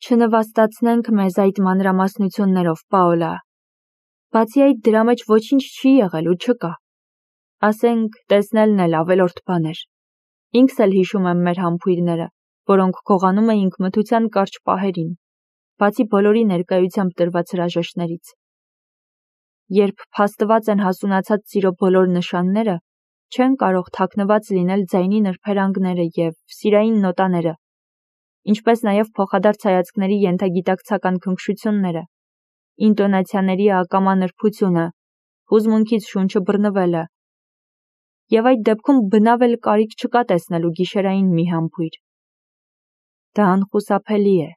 Չնվաստացնենք մեզ այդ մանրամասնություններով, Պաոլա։ Բացի այդ դրա մեջ ոչինչ չի եղել ու չկա։ Ասենք, տեսնելն էլ ավելորդ բան էր։ Ինքս էլ հիշում եմ մեր համբույրները, որոնք գողանում էինք մթության կարճ պահերին, բացի բոլորի ներկայությամբ տրված հրաժեշտներից։ Երբ փաստված են հասունացած սիրո բոլոր նշանները, չեն կարող թաքնված լինել ձայնի նրբերանգները և սիրային նոտաները, ինչպես նաև փոխադարձ հայացքների ենթագիտակցական քնքշությունները, ինտոնացիաների ակամա նրբությունը, հուզմունքից շունչը բռնվելը, և այդ դեպքում բնավ էլ կարիք չկա տեսնելու գիշերային մի համբույր։ Դա անխուսափելի է։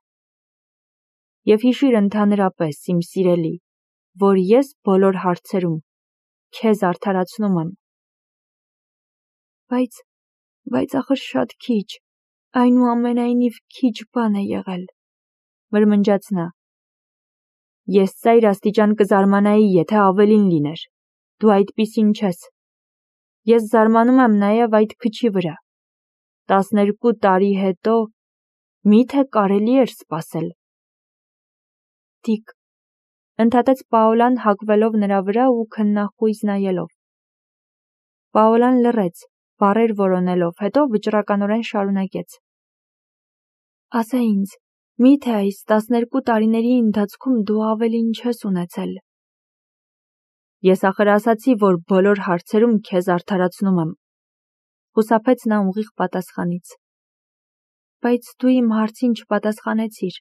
Եվ հիշիր ընդհանրապես, իմ սիրելի, որ ես բոլոր հարցերում քեզ արդարացնում եմ։ Բայց ախր շատ քիչ, այնուամենայնիվ քիչ բան է եղել, մրմնջաց նա։ Ես ծայր աստիճան կզարմանայի, եթե ավելին լիներ, դու այդպիսին չես։ Ես զարմանում եմ նաև այդ քչի վրա։ 12 տարի հետո միթե կարելի էր սպասել։ Դիկ, ընդհատեց Պաոլան հագվելով նրա վրա ու քննախույզ նայելով։ Պաոլան լռեց, բառեր որոնելով, հետո վճռականորեն շարունակեց. Ասա ինձ, միթե այս 12 տարիների ընթացքում դու ավելին չես ունեցել։ Ես ախր ասացի, որ բոլոր հարցերում քեզ արդարացնում եմ, խուսափեց նա ուղիղ պատասխանից։ Բայց դու իմ հարցին չպատասխանեցիր,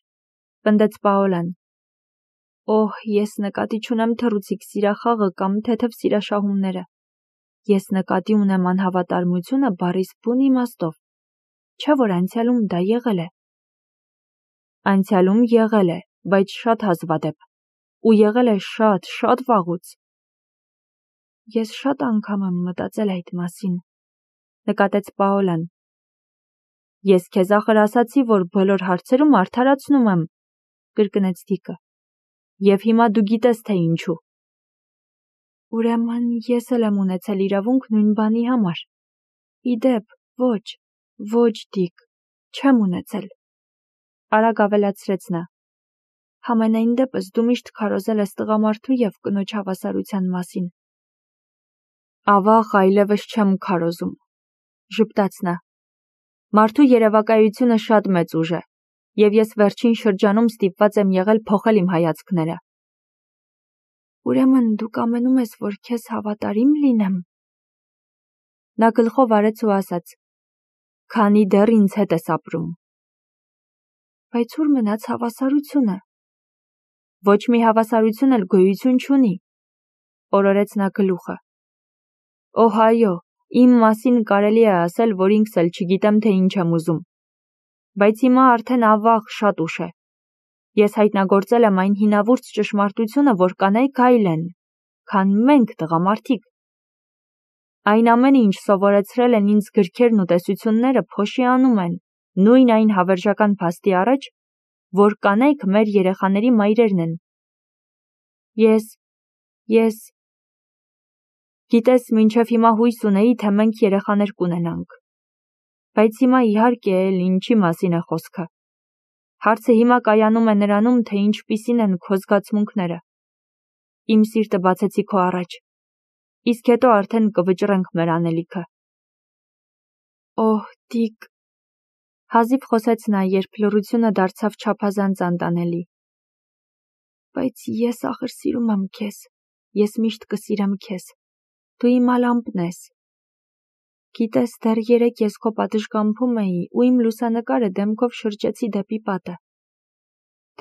պնդեց Պաոլան։ Օհ, ես նկատի չունեմ թռուցիկ սիրախաղը կամ թեթև սիրաշահումները։ Ես նկատի ունեմ անհավատարմությունը բառիս բուն իմաստով, չէ՞ որ անցյալում դա եղել է։ Անցյալում եղել է, բայց շատ հազվադեպ, ու եղել է շատ վաղուց։ Ես շատ անգամ եմ մտածել այդ մասին, նկատեց Պաոլան։ Ես քեզ ախր ասացի, որ բոլոր հարցերում արդարացնում եմ, կրկնեց Դիկը։ Եվ հիմա դու գիտես, թե ինչու։ Ուրեմն ես էլ եմ ունեցել իրավունք նույն բանի համար։ Իդեպ, ոչ, Դիկ, չեմ ունեցել։ Արագ ավելացրեց նա։ Համենայն դեպս դու միշտ քարոզել ես տղամարդու և կնոջ հավասարության մասին։ Ավաղ այլևս չեմ քարոզում, ժպտաց նա։ Մարդու երևակայությունը շատ մեծ ուժ է, և ես վերջին շրջանում ստիպված եմ եղել փոխել իմ հայացքները։ Ուրեմն դու կամենում ես, որ քեզ հավատարիմ լինեմ։ Նա գլխով արեց ու ասաց. Քանի դեռ ինձ հետ ես ապրում։ Բայց ուր մնաց հավասարությունը։ Ոչ մի հավասարություն էլ գոյություն չունի, օրորեց նա գլուխը։ Օհ այո, իմ մասին կարելի է ասել, որ ինքս էլ չգիտեմ, թե ինչ եմ ուզում։ Բայց հիմա արդեն ավաղ շատ ուշ է։ Ես հայտնագործել եմ այն հինավուրց ճշմարտությունը, որ կանայք այլ են, քան մենք տղամարդիկ։ Այն ամենը, ինչ սովորեցրել են ինձ գրքերն ու տեսությունները, փոշիանում են նույն այն հավերժական փաստի առաջ, որ կանայք մեր երեխաների մայրերն են։ Ես Գիտես, մինչև հիմա հույս ունեի, թե մենք երեխաներ կունենանք։ Բայց հիմա իհարկե էլ ինչի մասին է խոսքը։ Հարցը հիմա կայանում է նրանում, թե ինչպիսին են քո զգացմունքները։ Իմ սիրտը բացեցի քո առաջ, իսկ հետո արդեն կվճռենք մեր անելիքը։ Օհ, Դիկ, հազիվ խոսեց նա, երբ լռությունը դարձավ չափազանց անտանելի։ Բայց ես ախր սիրում եմ քեզ, ես միշտ կսիրեմ քեզ, դու իմ ալամպն ես։ Գիտես, դեռ երեկ ես քո պատշգամբում էի ու իմ լուսանկարը դեմքով շրջեցի դեպի պատը։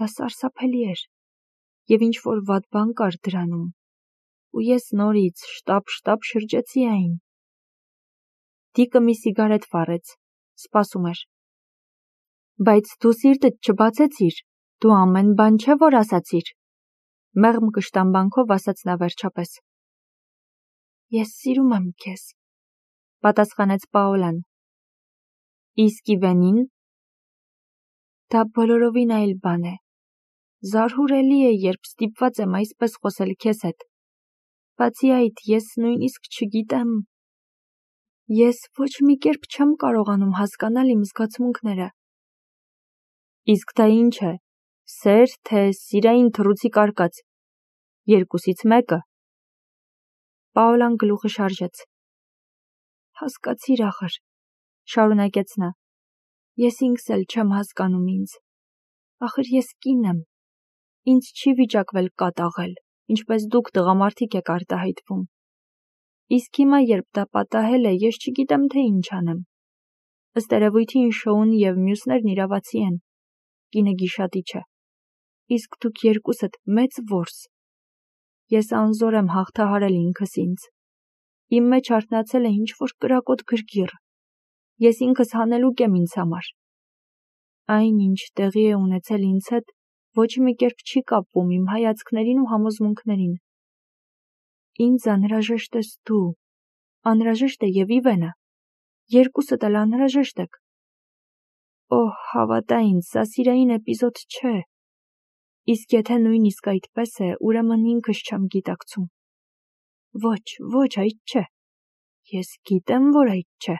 Դա սարսափելի էր, և ինչ-որ վատ բան կար դրանում, ու ես նորից շտապ շրջեցի այն։ Դիկը մի սիգարետ վառեց, սպասում էր։ Բայց դու սիրտդ չբացեցիր, դու ամեն բան չէ, որ ասացիր, մեղմ կշտամբանքով ասաց նա վերջապես։ Ես սիրում եմ քեզ, պատասխանեց Պաոլան։ Իսկ Իվենին։ Դա բոլորովին այլ բան է։ Զարհուրելի է, երբ ստիպված եմ այսպես խոսել քեզ հետ։ Բացի այդ, ես նույնիսկ չգիտեմ։ Ես ոչ մի կերպ չեմ կարողանում հասկանալ իմ զգացմունքները։ Իսկ դա ինչ է, Սեր, թե սիրային թռուցիկ արկած։ Երկուսից մեկը։ Պաոլան գլուխը շարժեց։ Հասկացիր ախր, շարունակեց նա։ Ես ինքս էլ չեմ հասկանում ինձ։ Ախր ես կին եմ։ Ինձ չի վիճակվել կատաղել, ինչպես դուք տղամարդիկ եք արտահայտվում։ Իսկ հիմա, երբ դա պատահել է, ես չգիտեմ, թե ինչ անեմ։ Ըստ երևույթին Շոուն և մյուսներն իրավացի են։ Կինը գիշատիչ է։ Իսկ դուք երկուսդ մեծ որս։ Ես անզոր եմ հաղթահարել ինքս ինձ։ Իմ մեջ արթնացել է ինչ-որ կրակոտ գրգիռ։ Ես ինքս հանելուկ եմ ինձ համար։ Այն, ինչ տեղի է ունեցել ինձ հետ, ոչ մի կերպ չի կապվում իմ հայացքներին ու համոզմունքներին։ Ինձ անհրաժեշտ ես դու, անհրաժեշտ է և Իվենը, երկուսդ էլ անհրաժեշտ եք։ Օհ, հավատա ինձ, սա սիրային էպիզոդ չէ։ Իսկ եթե նույնիսկ այդպես է, ուրեմն ինքս չեմ գիտակցում։ Ոչ, այդ չէ։ Ես գիտեմ, որ այդ չէ։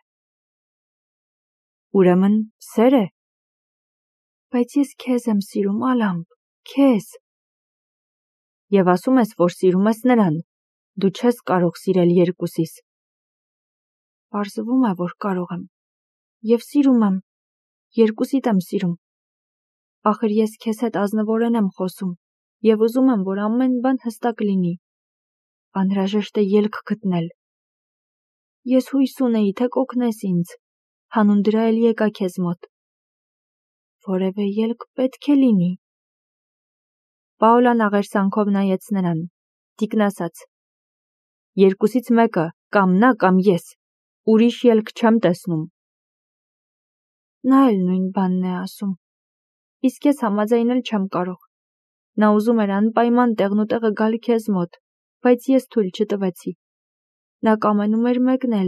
Ուրեմն սեր է։ Բայց ես քեզ եմ սիրում, Ալամբ, քեզ։ Եվ ասում ես, որ սիրում ես նրան։ Դու չես կարող սիրել երկուսիս։ Պարզվում է, որ կարող եմ։ Եվ սիրում եմ։ Երկուսիդ եմ սիրում։ Ախր ես քեզ հետ ազնվորեն եմ խոսում և ուզում եմ, որ ամեն բան հստակ լինի։ Անհրաժեշտ է ելք գտնել։ Ես հույս ունեի, թե կօգնես ինձ։ Հանուն դրա էլ եկա քեզ մոտ։ Որևէ ելք պետք է լինի։ Պաոլան աղերսանքով նայեց նրան, թիկնասաց։ Երկուսից մեկը, կամ նա, կամ ես։ Ուրիշ ելք չեմ տեսնում։ Նա էլ նույն բանն է ասում։ Իսկ ես համաձայնել չեմ կարող։ Նա ուզում էր անպայման տեղնուտեղը գալ քեզ մոտ, բայց ես թույլ չտվեցի։ Նա կամենում էր մեկնել,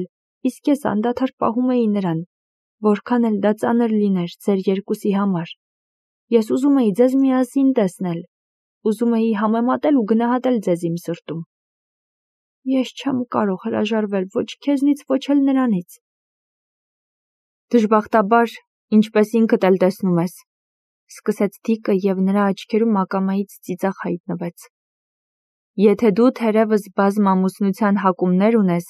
իսկ ես անդադար պահում էի նրան, որքան էլ դա ծանր լիներ ձեր երկուսի համար։ Ես ուզում էի ձեզ միասին տեսնել, ուզում էի համեմատել ու գնահատել ձեզ իմ սրտում։ Ես չեմ կարող հրաժարվել ոչ քեզնից, ոչ էլ նրանից։ Դժբախտաբար, ինչպես ինքդ էլ տեսնում ես, սկսեց Դիկը և նրա աչքերում ակամայից ծիծաղ հայտնվեց։ Եթե դու թերևս բազմամուսնության հակումներ ունես,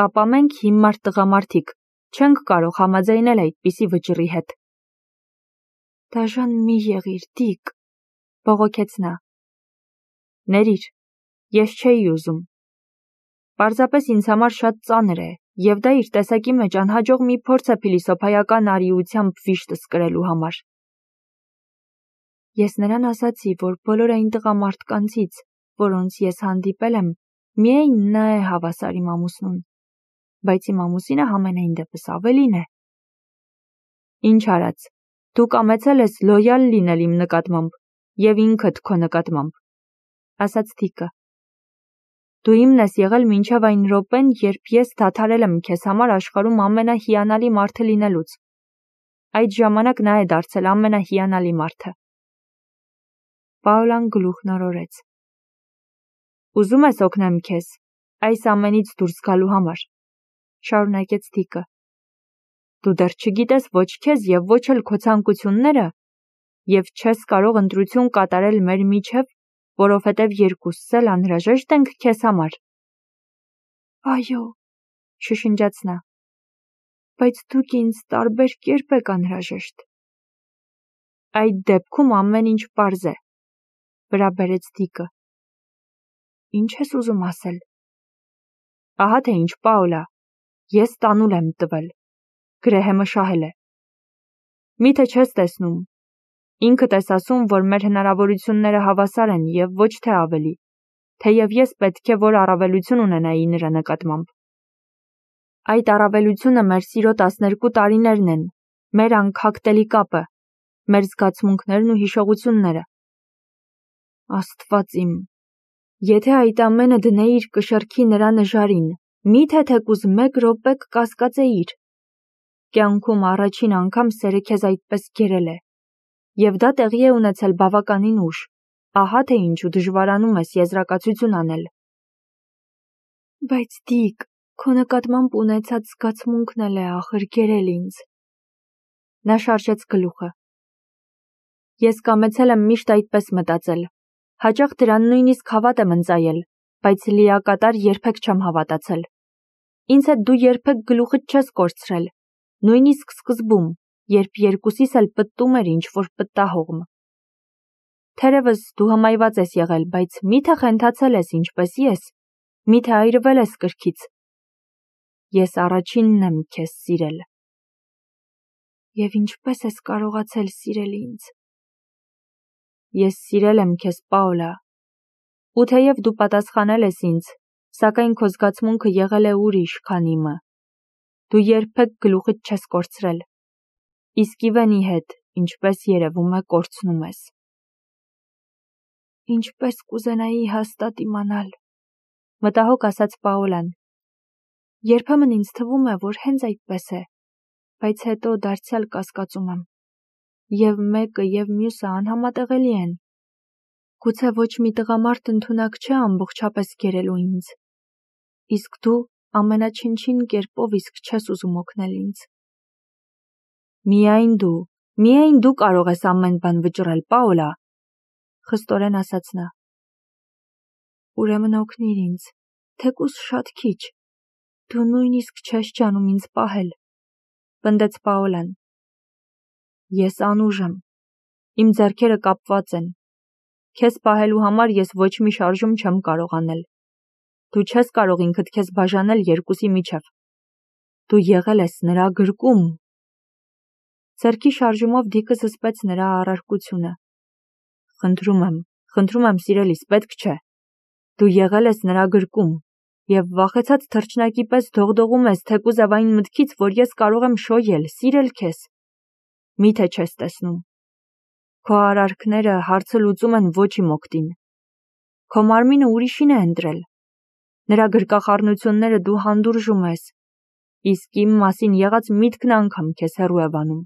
ապա մենք հիմար տղամարդիկ չենք կարող համաձայնել այդպիսի վճռի հետ։ Դաժան մի եղիր, Դիկ, բողոքեց նա։ Ներիր, ես չէի ուզում։ Պարզապես ինձ համար շատ ծանր է, և դա իր տեսակի մեջ անհաջող մի փորձ է փիլիսոփայական արիությամբ վիշտս կրելու համար։ Ես նրան ասացի, որ բոլոր այն տղամարդկանցից, որոնց ես հանդիպել եմ, միայն նա է հավասար իմ ամուսնուն, բայց իմ ամուսինը համենայն դեպս ավելին է։ Ինչ արած, դու կամեցել ես լոյալ լինել իմ նկատմամբ և ինքդ քո նկատմամբ, ասաց Դիկը։ Դու իմն ես եղել մինչև այն րոպեն, երբ ես դադարել եմ քեզ համար աշխարհում ամենահիանալի մարդը լինելուց։ Այդ ժամանակ նա է դարձել ամենահիանալի մարդը։ Պաոլան գլուխն օրորեց։ Ուզում ես օգնեմ քեզ այս ամենից դուրս գալու համար, շարունակեց Դիկը։ Դու դեռ չգիտես ոչ քեզ և ոչ էլ քո ցանկությունները, և չես կարող ընտրություն կատարել մեր միջև, որովհետև երկուսս էլ անհրաժեշտ ենք քեզ համար։ Այո, շշնջաց նա, բայց դուք ինձ տարբեր կերպ եք անհրաժեշտ։ Այդ դեպքում ամեն ինչ պարզ է, վրա բերեց Դիկը։ Ինչ ես ուզում ասել։ Ահա թե ինչ, Պաոլա, ես տանուլ եմ տվել, Գրեհեմը շահել է։ Միթե չես տեսնում, ինքդ ես ասում, որ մեր հնարավորությունները հավասար են և ոչ թե ավելի, թեև ես պետք է որ առավելություն ունենայի նրա նկատմամբ։ Այդ առավելությունը մեր սիրո 12 տարիներն են, մեր անքակտելի կապը, մեր զգացմունքներն ու հիշողությունները։ Աստված իմ, եթե այդ ամենը դնեիր կշեռքի նրա նժարին, միթե թեկուզ 1 րոպե կկասկածեիր։ Կյանքում առաջին անգամ սերը քեզ այդպես գերել է, և դա տեղի է ունեցել բավականին ուշ, ահա թե ինչու դժվարանում ես եզրակացություն անել։ Բայց Դիկ, քո նկատմամբ ունեցած զգացմունքն էլ է ախր գերել ինձ։ Նա շարժեց գլուխը։ Ես կամեցել եմ միշտ այդպես մտածել, հաճախ դրան նույնիսկ հավատ եմ ընծայել, բայց լիակատար երբեք չեմ հավատացել։ Ինձ հետ դու երբեք գլուխդ չես կորցրել, նույնիսկ սկզբում, երբ երկուսիս էլ պտտում էր ինչ-որ պտտահողմ։ Թերևս դու հմայված ես եղել, բայց միթե խենթացել ես ինչպես ես, միթե այրվել ես կրքից։ Ես առաջինն եմ քեզ սիրել։ Եվ ինչպես ես կարողացել սիրել ինձ։ Ես սիրել եմ քեզ, Պաոլա, ու թեև դու պատասխանել ես ինձ, սակայն քո զգացմունքը եղել է ուրիշ, քան իմը։ Դու երբեք գլուխդ չես կորցրել, իսկ Իվենի հետ, ինչպես երևում է, կորցնում ես։ Ինչպես կուզենայի հաստատ իմանալ, մտահոգ ասաց Պաոլան։ Երբեմն ինձ թվում է, որ հենց այդպես է, բայց հետո դարձյալ կասկածում եմ։ Եվ մեկը և մյուսը անհամատեղելի են։ Գուցե ոչ մի տղամարդ ընդունակ չէ ամբողջապես գերելու ինձ, իսկ դու ամենաչնչին կերպով իսկ չես ուզում օգնել ինձ։ Միայն դու կարող ես ամեն բան վճռել, Պաոլա, խստորեն ասաց նա։ Ուրեմն օգնիր ինձ, թեկուզ շատ քիչ, դու նույնիսկ չես ջանում ինձ պահել, պնդեց Պաոլան։ Ես անուժ եմ, իմ ձեռքերը կապված են, քեզ պահելու համար ես ոչ մի շարժում չեմ կարող անել, դու չես կարող ինքդ քեզ բաժանել երկուսի միջև, դու եղել ես նրա գրկում։ Ձեռքի շարժումով դիկը զսպեց նրա առարկությունը։ Խնդրում եմ սիրելիս, պետք չէ, դու եղել ես նրա գրկում, և վախեցած թռչնակի պես դողդողում ես թեկուզև այն մտքից, որ ես կարող եմ շոյել, սիրել քեզ։ Միթե չես տեսնում։ Քո արարքները հարցը լուծում են ոչ իմ օգտին։ Քո մարմինը ուրիշին է ընտրել։ Նրա գրկախառնությունները դու հանդուրժում ես, իսկ իմ մասին եղած միտքն անգամ քեզ հեռու է վանում։